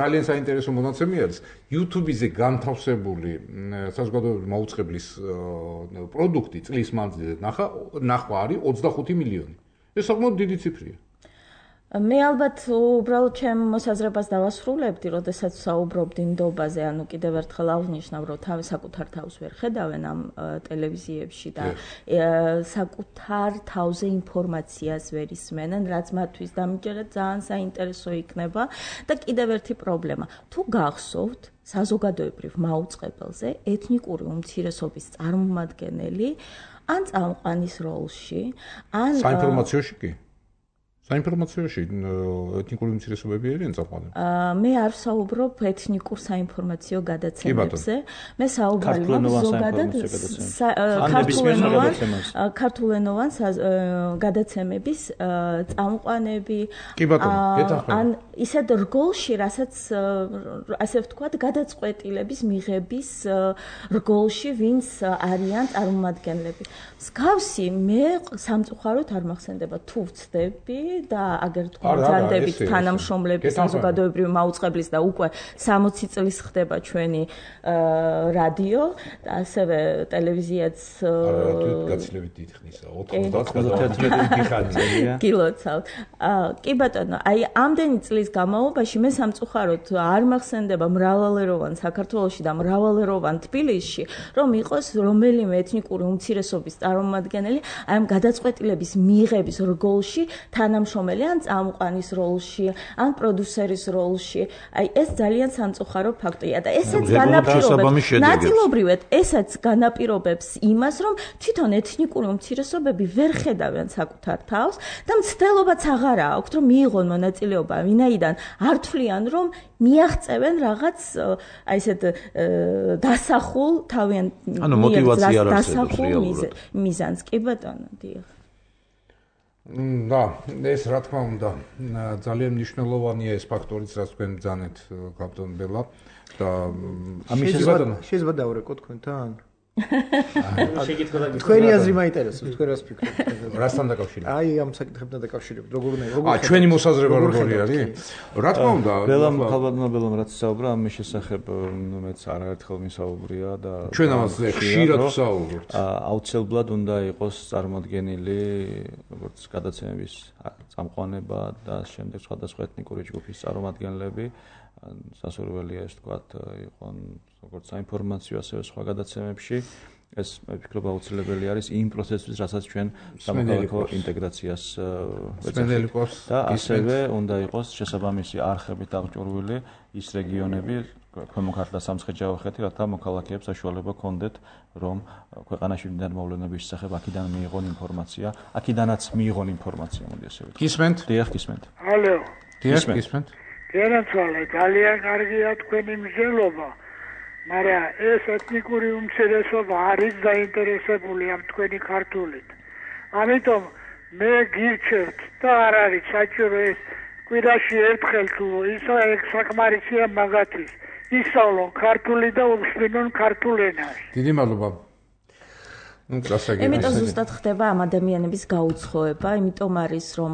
ძალიან საინტერესო მონაცემი არის. YouTube-ზე განთავსებული საზოგადოებრივი მაუწყებლის პროდუქტი წლის მანძილზე ნახვა არის 25 მილიონი. ეს საკმაოდ დიდი ციფრია. მე ალბათ უბრალოდ ჩემ მოსაზრებას დავასრულებდი, როდესაც საუბრობდი ნდობაზე, ანუ კიდევ ერთხელ აღნიშნავ, რომ საკუთარ თავს ვერ ხედავენ ამ ტელევიზიებში და საკუთარ თავზე ინფორმაციას ვერ ისმენენ, რაც მათთვის დამიჯერეთ ძალიან საინტერესო იქნება და კიდევ ერთი პრობლემა. თუ გახსოვთ, საზოგადოებრივ მაუწყებელზე ეთნიკური უმცირესობის წარმომადგენელი ან წამყვანის როლში, ან საინფორმაციოში კი საინფორმაციოში ეთნიკური უმცირესობები არიან წამყვანები. მე არ საუბრობ ეთნიკურ საინფორმაციო გადაცემებზე. მე საუბრობ ზოგადად ქართულენოვან გადაცემების წამყვანები ან ისეთ რგოლში, რასაც ასე ვთქვათ, გადაწყვეტილების მიღების რგოლში ვინც არიან წარმომადგენლები. მსგავსი მე სამწუხაროდ არ მახსენდება თუ ვცდები და აგერ თქვა ძალდებით თანამშრომლების საზოგადოებრივი მაუწყებლის და უკვე 60 წლის ხდება ჩვენი რადიო და ასევე ტელევიზიაც გაცილებით დიდი ხნისა 91 ხანია კილოცავთ. კი ბატონო, აი ამდენი წლის განმავლობაში მე სამწუხაროდ არ მახსენდება მრავალეროვან საქართველოში და მრავალეროვან თბილისში, რომ იყოს რომელიმე ეთნიკური უმცირესობის წარმომადგენელი აი ამ გადაწყვეტილების მიღების რგოლში თანამშრომელი ან წამყვანის როლში, ან პროდიუსერის როლში. აი ეს ძალიან სამწუხარო ფაქტია და ესეც განაპირობებს ნაწილობრივად ესაც განაპირობებს იმას, რომ თვითონ ეთნიკური უმცირესობები ვერ ხედავენ საკუთარ თავს და მცდელობაც აღარა აქვთ, რომ მიიღონ მონაწილეობა, ვინაიდან არ თვლიან, რომ მიაღწევენ რაღაც აი ესეთ დასახულ თავიანთ მიზანს. კი ბატონო, დიახ. და ეს რა თქმა უნდა ძალიან მნიშვნელოვანია ეს ფაქტორიც, რაც თქვენ ბრძანეთ კაპიტან ბელა და შეიძლება დავრეკო თქვენთან? თქვენი აზრი მაინტერესებს, თქვენ რას ფიქრობთ? რასთან დაკავშირებით? აი ამ საკითხებთან დაკავშირებით, როგორ ჩვენი მოსაზრება როგორი არის? რა თქმა უნდა, ბელამ რაც საუბრა ამის შესახებ, მეც არაერთხელ მისაუბრია და ჩვენ ამას ხშირად ვსაუბრობთ. აუცილებლად უნდა იყოს წარმოადგენილი როგორც გადაცემების წამყვანება და შემდეგ სხვადასხვა ეთნიკური ჯგუფის წარმომადგენლები. სასურველია ეს თქვათ იყონ როგორც საინფორმაციო ასევე სხვა გადაცემებში. ეს მე ვფიქრობ აუცილებელი არის იმ პროცესისთვის, რასაც ჩვენ სამოქალაქო ინტეგრაციას ვეცდებით და ასევე უნდა იყოს შესაბამისი არხებით აღჭურვილი ის რეგიონები, ქვემოქართლ და სამცხე-ჯავახეთი, რათა მოქალაქეებს საშუალება ჰქონდეთ, რომ ქვეყანაში მდიდარი მოვლენების შესახებ აქედან მიიღონ ინფორმაცია, აქედანაც მიიღონ ინფორმაცია, მოდი ასე ვთქვათ. გისმენთ? დიახ, გისმენთ. ალო. დიახ, გისმენთ. გენაცვალე, ძალიან კარგია თქვენი მზელობა, მაგრამ ეს ეთნიკური უმცირესობა არის დაინტერესებული ამ თქვენი ქართულით. ამიტომ მე გირჩევთ და არ არის საჭირო ეს კვირაში ერთხელ თუ ისა ეგ საკმარისია მაგათთვის. ისწავლონ ქართული და უსმენონ ქართულ ენას. დიდი მადლობა. იმიტომ ზუსტად ხდება ამ ადამიანების გაუცხოება, იმიტომ არის რომ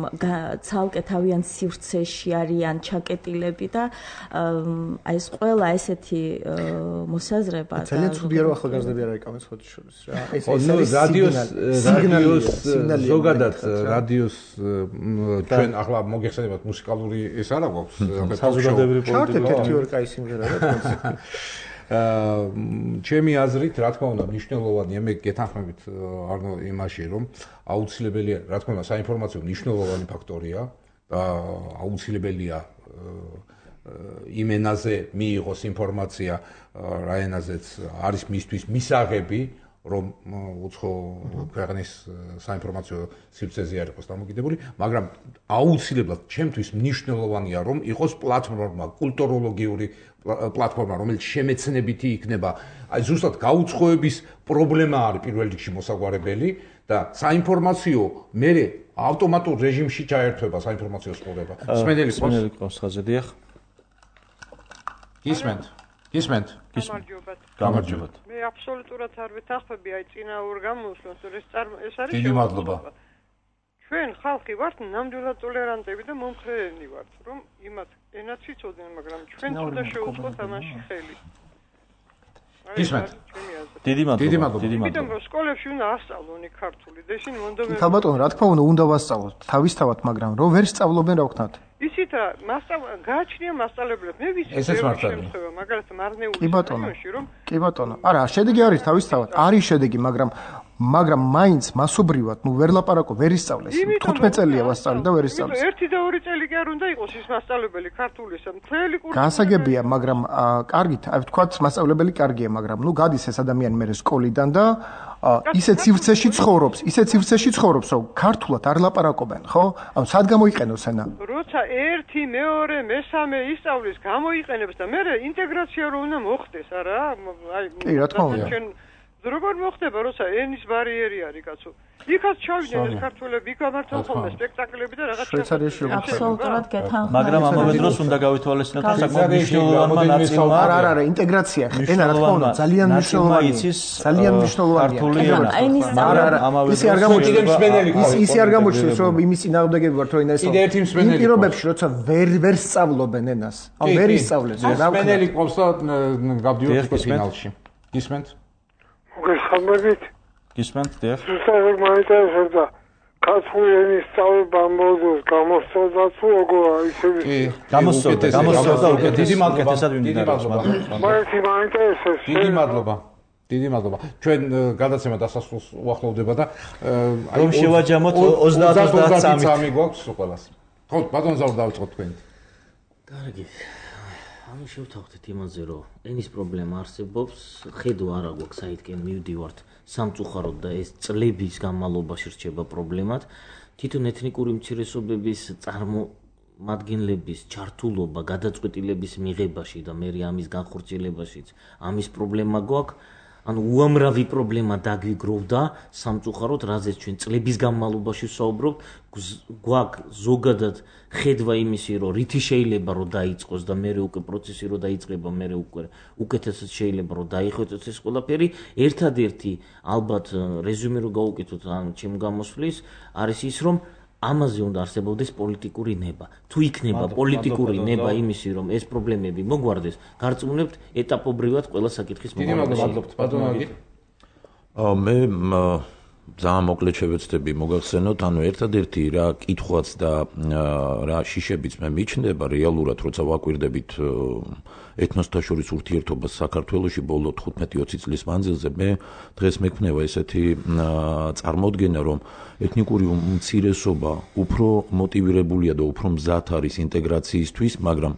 ცალკე თავიანთ სივრცეში არიან ჩაკეტილები და აი ეს ყველა ესეთი მოსაზრება და ძალიან ცუდია რომ ახალგაზრდები არ იკავენ სხვათა შორის რა. ეს რადიოს ზოგადად რადიოს ჩვენ ახლა მოგეხსენებათ მუსიკალური ეს არა გვაქვს საზოგადოებრივი პოლიტიკა. ჩარტეთ ერთი ორ კაი სიმღერა რა. ჩემი აზრით, რა თქმა უნდა, მნიშვნელოვანია, მე გეთანხმებით არნო იმაში, რომ აუცილებელია, რა თქმა უნდა, საინფორმაციო მნიშვნელოვანი ფაქტორია აუცილებელია იმ ენაზე მიიღოს ინფორმაცია, რა ენაზეც არის მისთვის მისაღები, რომ უცხო ქვეყნის საინფორმაციო სივრცეზე არ იყოს დამოკიდებული, მაგრამ აუცილებლად ჩემთვის მნიშვნელოვანია, რომ იყოს პლატფორმა, კულტუროლოგიური პლატფორმა, რომელიც შემეცნებითი იქნება. აი ზუსტად გაუცხოების პრობლემა არის პირველ რიგში მოსაგვარებელი და საინფორმაციო მე ავტომატურ რეჟიმში ჩაერთვება საინფორმაციო სპორება. სმენელი ყავს ხაზე დიახ. გისმენთ. გამარჯობათ. მე აბსოლუტურად არ ვეთანხმები აი წინაურ გამოსვლას, რომ ეს არის დიდი მადლობა. ჩვენ ხალხი ვართ ნამდვილად ტოლერანტები და მომხრეები ვართ, რომ იმათ ენაც იცოდნენ, მაგრამ ჩვენ თუნდა შევუწყოთ ამაში ხელი. გისმენთ. დიდი მადლობა. იმიტომ რომ სკოლებში უნდა ასწავლონ ქართული და ისინი მონდომები. ხალბატონო, რა თქმა უნდა ვასწავლოთ თავისთავად, მაგრამ რომ ვერ სწავლობენ რა ვქნათ. ისიც რა, გააჩნია მასწავლებლები. მე ვიცი შემთხვევა, მაგალითად მარნეულის რაიონში რომ კი ბატონო. არა, შედეგი არის თავისთავად. არის შედეგი, მაგრამ მაინც მასობრივად, ვერ ლაპარაკო, ვერ ისწავლეს. 15 წელია ვასწავლე და ვერ ისწავლეს. 1 და 2 წელი კი არ უნდა იყოს ის მასწავლებელი ქართულისა, მთელი კურსი. გასაგებია, მაგრამ კარგით, აი ვთქვათ, მასწავლებელი კარგია, მაგრამ გადის ეს ადამიანი მე სკოლიდან და ისეთ სივრცეში ცხოვრობს, რომ ქართულად არ ლაპარაკობენ, ხო? ანუ სად გამოიყენოს ენა? როცა 1, 2, 3 ისწავლის, გამოიყენებს და მე ინტეგრაცია რო უნდა მოხდეს, არა? აი, კი, რა თქმა უნდა. როგორ მოხდება, როცა ენის ბარიერი არის, კაცო? იქაც ჩავიდნენ ეს ქართველები, იქ გამართონ ხოლმე სპექტაკლები და რაღაც შვეიცარიაში აბსოლუტურად გეთანხმები. მაგრამ ამავე დროს უნდა გავითვალისწინოთ, რომ საკმაოდ მნიშვნელოვანმა ნაწილმა არა, ინტეგრაცია. ენა რა თქმა უნდა, ძალიან მნიშვნელოვანია. ისე არ გამოჩნდეს, რომ იმის წინააღმდეგები ვართ, რომ ენა ეს იმ პირობებში, როცა ვერ სწავლობენ ენას. ან ვერ ისწავლეს, რა ვქნა. სპენელი ყავს და გავდივართ ფინალში. გისმენთ? მოგესალმებით. გისმენთ, დიახ. ზუსტად მაინტერესებდა ქართული ენის სწავლება მოდულს გამოსწორდა თუ როგორ ისე კი, გამოსწორდა უკეთ. დიდი მადლობა. მაინც მაინტერესებს. დიდი მადლობა. ჩვენ გადაცემა დასასრულს უახლოვდება და რომ შევაჯამოთ 30-33 გვაქვს ყველას. ხო, ბატონ ზაურ დავიწყოთ თქვენ. კარგი. ანუ შევთავაზეთ იმაზე, რომ ენის პრობლემა არსებობს, ხედვა არა გვაქვს საითკენ მივდივართ სამწუხაროდ და ეს წლების განმავლობაში რჩება პრობლემად. თვითონ ეთნიკური უმცირესობების წარმომადგენლების ჩართულობა გადაწყვეტილების მიღებაში და მე ამის განხორციელებაშიც ამის პრობლემა გვაქვს. ანუ უამრავი პრობლემა დაგვიგროვდა სამწუხაროდ, რაზეც ჩვენ წლების განმავლობაში ვსაუბრობთ, გვაქვს ზოგადად ხედვა იმისი, რომ რითი შეიძლება რომ დაიწყოს და მე უკვე პროცესი რომ დაიწყება, მე უკვე უკეთესად შეიძლება რომ დაიხვეწოს ეს ყველაფერი. ერთადერთი ალბათ რეზუმე რო გავუკეთოთ ან ჩემ გამოსვლის არის ის, რომ ამაზე უნდა არსებობდეს პოლიტიკური ნება. თუ იქნება პოლიტიკური ნება იმისი, რომ ეს პრობლემები მოგვარდეს, გარწმუნებთ ეტაპობრივად ყველა საკითხის მოგვალებთ. მე ძალიან მოკლედ შევეცდები მოგახსენოთ, ანუ ერთადერთი რა კითხვაც და რა შიშებიც მე მიჩნდება რეალურად, როცა ვაკვირდებით ეთნოსთა შორის ურთიერთობას საქართველოში ბოლო 15-20 წლის მანძილზე, მე დღეს მექნევა ესეთი წარმოდგენა, რომ ეთნიკური უმცირესობა უფრო მოტივირებულია და უფრო მზად არის ინტეგრაციისთვის, მაგრამ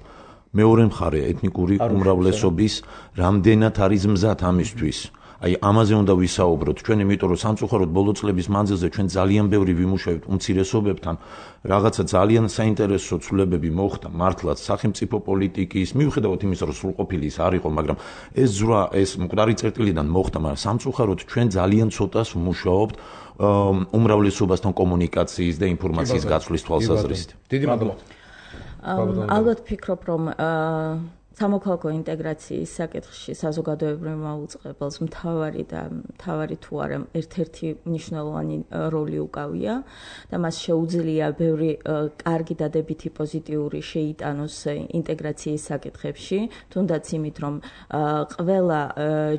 მეორე მხარე ეთნიკური უმრავლესობის რამდენად არის მზად ამისთვის. აი ამაზე უნდა ვისაუბროთ ჩვენ, იმიტომ რომ სამწუხაროდ ბოლო წლების მანძილზე ჩვენ ძალიან ბევრი ვიმუშავებთ უმცირესობებთან, რაღაცა ძალიან საინტერესო ცვლილებები მოხდა მართლაც სახელმწიფო პოლიტიკის, მიუხედავად იმისა, რომ სრულყოფილი ის არ იყო, მაგრამ ეს ზრა, ეს მკვდარი წერტილიდან მოხდა, მაგრამ სამწუხაროდ ჩვენ ძალიან ცოტას ვმუშაობთ უმრავლესობასთან კომუნიკაციის და ინფორმაციის გაცვლის თვალსაზრისით. დიდი მადლობა. ალბათ ფიქრობ, რომ სამოქალაქო ინტეგრაციის საკითხში საზოგადოებრივ მაუწყებელს მთავარი თუ არა ერთ-ერთი მნიშვნელოვანი როლი უკავია და მას შეუძლია ბევრი კარგი დადებითი პოზიტიური შეიტანოს ინტეგრაციის საკითხებში, თუნდაც იმით, რომ ყველა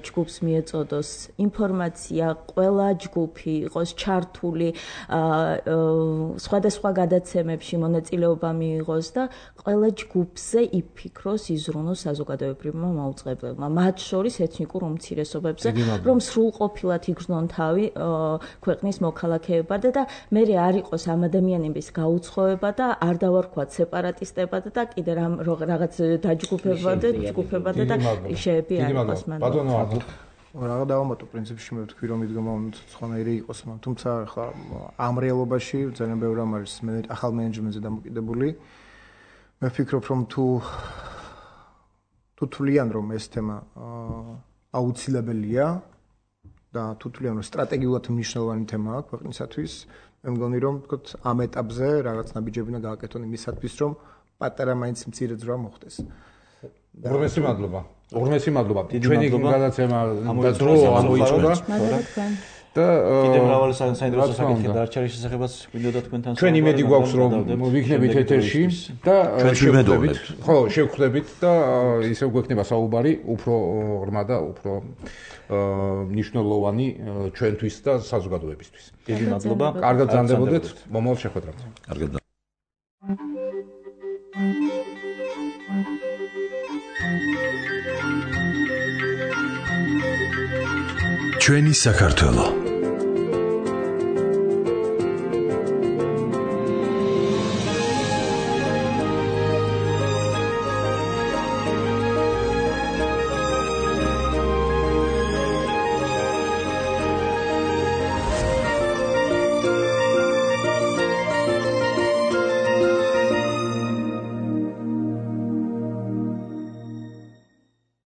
ჯგუფს მიეწოდოს ინფორმაცია, ყველა ჯგუფი იყოს ჩართული სხვადასხვა გადაცემებში მონაწილეობა მიიღოს და ყველა ჯგუფზე იფიქროს, იზრუნოს საქართველოს საზოგადოებრივმა მაუწყებლებმა, მათ შორის ეთნიკურ უმცირესობებზე, რომ სრულყოფილად იგრძნონ თავი ქვეყნის მოქალაქეებად და მე არ იყოს ამ ადამიანების გაუცხოება და არ დავარქვათ სეპარატისტებად და კიდე რაღაც დაჯგუფებად და შეები არ იყოს მან. რა დავამატო პრინციპში მე ვთქვი რომ იდგომა სხვანაირი იყოს, თუმცა ახლა ამ რეალობაში ძალიან ბევრი რამ არის ახალ მენეჯმენტზე დამოკიდებული. მე ვფიქრობ რომ თუ თვლიან რომ ეს თემა აუცილებელია და თუ თვლიან რომ სტრატეგიულად მნიშვნელოვანი თემაა ქვეყნისათვის, მე მგონი რომ თქოთ ამ ეტაპზე რაღაც ნაბიჯები უნდა გააკეთონ იმისათვის რომ პატარა მაინც მცირე ძრა მოხდეს. უღრმესი მადლობა. ჩვენი გადაცემა და დრო ამოიწურა. და კიდევ მრავალი საინტერესო საკითხი დარჩა რის შესახებაც მინდოდა თქვენთან ჩვენ იმედი გვაქვს რომ ვიქნებით ეთერში და შევხვდებით და ისევ გვექნება საუბარი უფრო ღრმა და უფრო მნიშვნელოვანი ჩვენთვის და საზოგადოებისთვის. დიდი მადლობა. კარგად გრძანდებოდეთ მომავალ შეხვედრამდე. კარგად. ჩვენი საქართველო